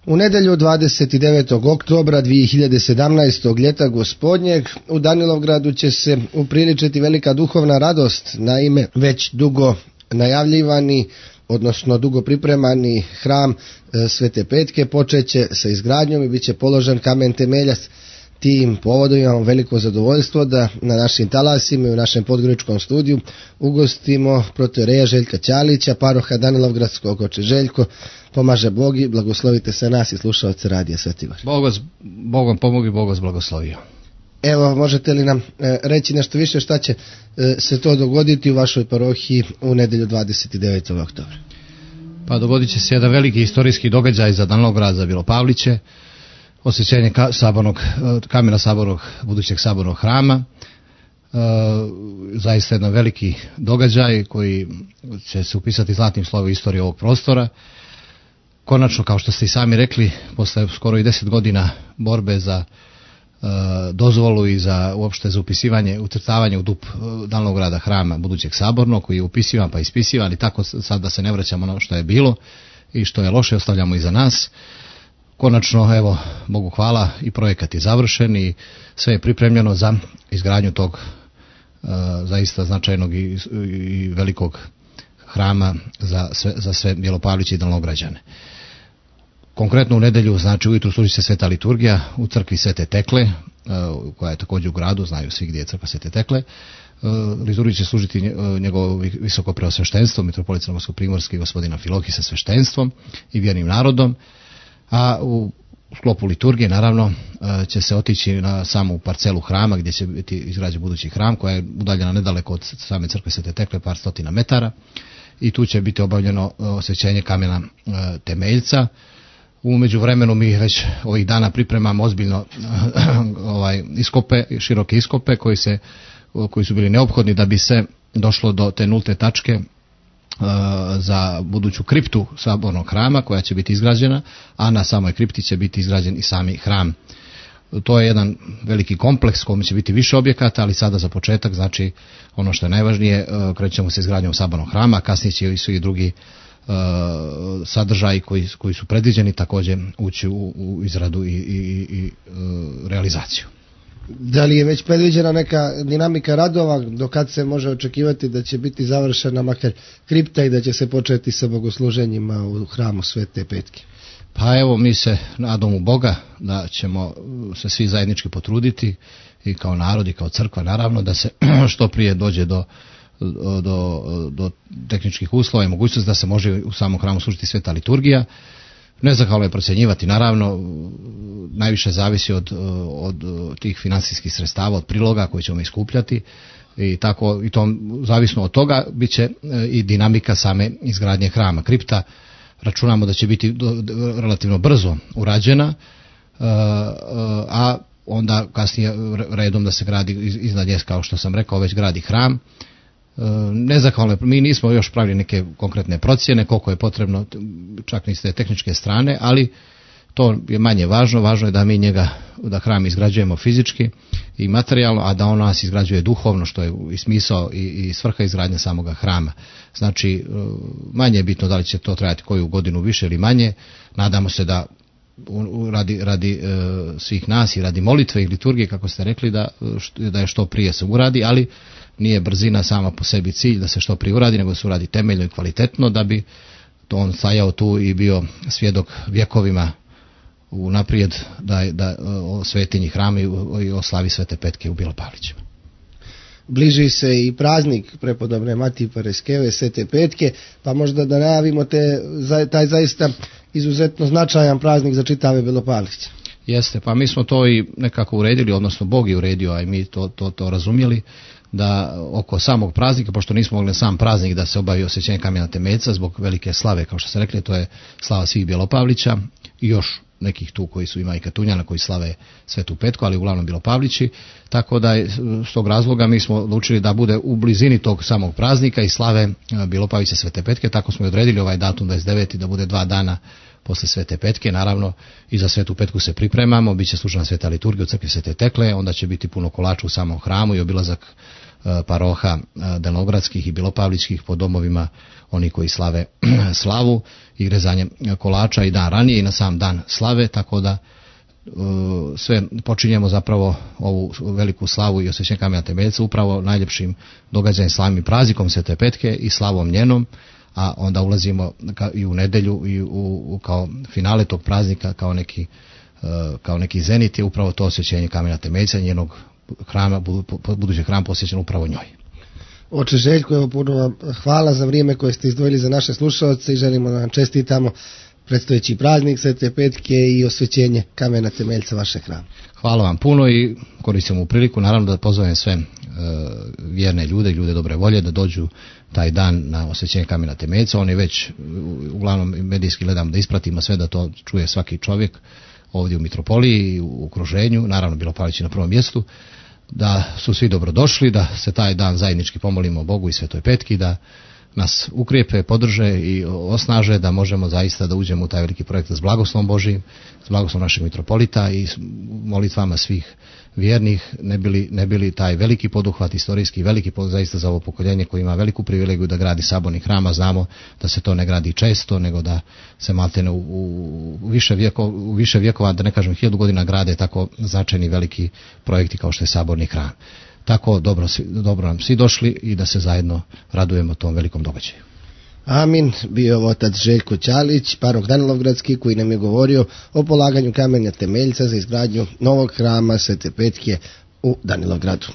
U nedjelju 29. oktobra 2017. ljeta gospodnjeg u Danilovgradu će se upriličiti velika duhovna radost, naime već dugo najavljivani, odnosno dugo pripremani hram Svete Petke počeće sa izgradnjom i bit će položen kamen temeljac. Tim povodom imamo veliko zadovoljstvo da na našim talasima i u našem podgoričkom studiju ugostimo protoijereja Željka Ćalića, paroha Danilovgradskog. Oče Željko, pomaže Bog i blagoslovite se nas i slušalce Radija Svetivar. Bogom pomogi, Bog vas blagoslovio. Evo, možete li nam reći nešto više šta će se to dogoditi u vašoj parohiji u nedjelju 29. oktobra? Pa dogodit će se jedan veliki historijski događaj za Danilovgrad, za Bilopavliće, osvećenje kamena sabornog, budućeg sabornog hrama. Zaista jedan veliki događaj koji će se upisati zlatnim slovom istorije ovog prostora. Konačno, kao što ste i sami rekli, posle skoro i 10 godina borbe za dozvolu i za uopšte za upisivanje, ucrtavanje u DUP Danilovgrada hrama budućeg sabornog, koji je upisivan pa ispisivan i tako sad da se ne vraćamo na ono što je bilo i što je loše ostavljamo iza nas. Konačno, evo, Bogu hvala, i projekat je završen i sve je pripremljeno za izgradnju tog zaista značajnog i velikog hrama za sve Bjelopavliće i Danilovgrađane. Konkretno u nedjelju, znači ujutru služi se sveta liturgija u crkvi Svete Tekle, koja je također u gradu, znaju svi gdje je crkva Svete Tekle. Liturgiju će služiti njegovo visoko preosveštenstvo, mitropolit Crnogorsko-primorski gospodina Filohije sa sveštenstvom i vjernim narodom. A u sklopu liturgije naravno će se otići na samu parcelu hrama gdje će biti izgrađen budući hram, koja je udaljena nedaleko od same crkve Svete Tekle, par stotina metara, i tu će biti obavljeno osvećenje kamena temeljca. U međuvremenu mi već ovih dana pripremamo ozbiljno široke iskope koji su bili neophodni da bi se došlo do te nulte tačke za buduću kriptu sabornog hrama koja će biti izgrađena, a na samoj kripti će biti izgrađen i sami hram. To je jedan veliki kompleks kojim će biti više objekata, ali sada za početak, znači ono što je najvažnije, krećemo se izgradnjom sabornog hrama, a kasnije će i svi drugi sadržaji koji su predviđeni također ući u izradu i realizaciju. Da li je već predviđena neka dinamika radova do kad se može očekivati da će biti završena makar kripta i da će se početi sa bogosluženjima u hramu Svete Petke? Pa evo, mi se nadamo u Boga da ćemo se svi zajednički potruditi i kao narod i kao crkva naravno da se što prije dođe do tehničkih uslova i mogućnosti da se može u samom hramu služiti sveta liturgija. Nezahvalno je procjenjivati, naravno, najviše zavisi od tih financijskih sredstava, od priloga koje ćemo iskupljati i tako, i to zavisno od toga bit će i dinamika same izgradnje hrama. Kripta računamo da će biti relativno brzo urađena, a onda kasnije redom da se gradi iznad nje, kao što sam rekao, već gradi hram. Nezahvalno, mi nismo još pravili neke konkretne procjene koliko je potrebno, čak ni s te tehničke strane, ali to je manje važno. Važno je da mi da hram izgrađujemo fizički i materijalno, a da on nas izgrađuje duhovno, što je i smisao i svrha izgradnje samoga hrama. Znači, manje je bitno da li će to trajati koju godinu više ili manje. Nadamo se da radi svih nas i radi molitve i liturgije, kako ste rekli, da je što prije se uradi, ali nije brzina sama po sebi cilj da se što prije uradi, nego se uradi temeljno i kvalitetno, da bi to on stajao tu i bio svjedok vjekovima unaprijed da o svetinji hrama i o slavi Svete Petke u Bilopavlićima. Bliži se i praznik prepodobne Matije Pareskeve, Svete Petke, pa možda da najavimo taj zaista izuzetno značajan praznik za čitave Bilopavliće. Jeste, pa mi smo to i nekako uredili, odnosno Bog je uredio, a i mi to razumjeli, da oko samog praznika, pošto nismo mogli sam praznik da se obavi osvećenje kamena temeljca zbog velike slave, kao što ste rekli, to je slava svih Bjelopavlića i još nekih tu koji su, ima i Katunjana koji slave Svetu Petku, ali uglavnom Bjelopavlići, tako da s tog razloga mi smo odlučili da bude u blizini tog samog praznika i slave Bjelopavlića Svete Petke, tako smo i odredili ovaj datum 29. da bude 2 dana posle Svete Petke. Naravno, i za Svetu Petku se pripremamo, bit će služena sveta liturgija u crkvi Svete Tekle, onda će biti puno kolača u samom hramu i obilazak paroha delnogradskih i bilopavličkih po domovima oni koji slave slavu i rezanje kolača i dan ranije i na sam dan slave, tako da sve počinjemo zapravo ovu veliku slavu i osvećenje kamena temeljca upravo najljepšim događajem, slavnim i praznikom Svete Petke i slavom njenom, a onda ulazimo i u nedelju i kao finale tog praznika, kao neki zenit je upravo to osvećenje kamena temeljca, njenog hrama, budući hram posvećen upravo njoj. Oče Željko, evo puno vam hvala za vrijeme koje ste izdvojili za naše slušalce i želimo da vam čestitamo predstojeći praznik Svete Petke i osvećenje kamena temeljca vašeg hrama. Hvala vam puno i koristim ovu priliku naravno da pozovem sve vjerne ljude dobre volje da dođu taj dan na osvećenje kamena temeljca. On je već uglavnom medijski gledam da ispratimo sve, da to čuje svaki čovjek ovdje u mitropoliji i u okruženju, naravno Bilopavlići na prvom mjestu, da su svi dobrodošli, da se taj dan zajednički pomolimo Bogu i Svetoj Petki, da nas ukrijepe, podrže i osnaže da možemo zaista da uđemo u taj veliki projekt s blagoslovom Božijim, s blagoslovom našeg mitropolita i molitvama svih vjernih, ne bili taj veliki poduhvat, istorijski veliki zaista za ovo pokoljenje koji ima veliku privilegiju da gradi saborni hram, a znamo da se to ne gradi često, nego da se maltene u više vjekova, da ne kažem 1000 godina, grade tako značajni veliki projekti kao što je saborni hram. Tako dobro nam svi došli i da se zajedno radujemo tom velikom događaju. Amin. Bio je otac Željko Ćalić, parok Danilovgradski, koji nam je govorio o polaganju kamena temeljca za izgradnju novog hrama Svete Petke u Danilovgradu.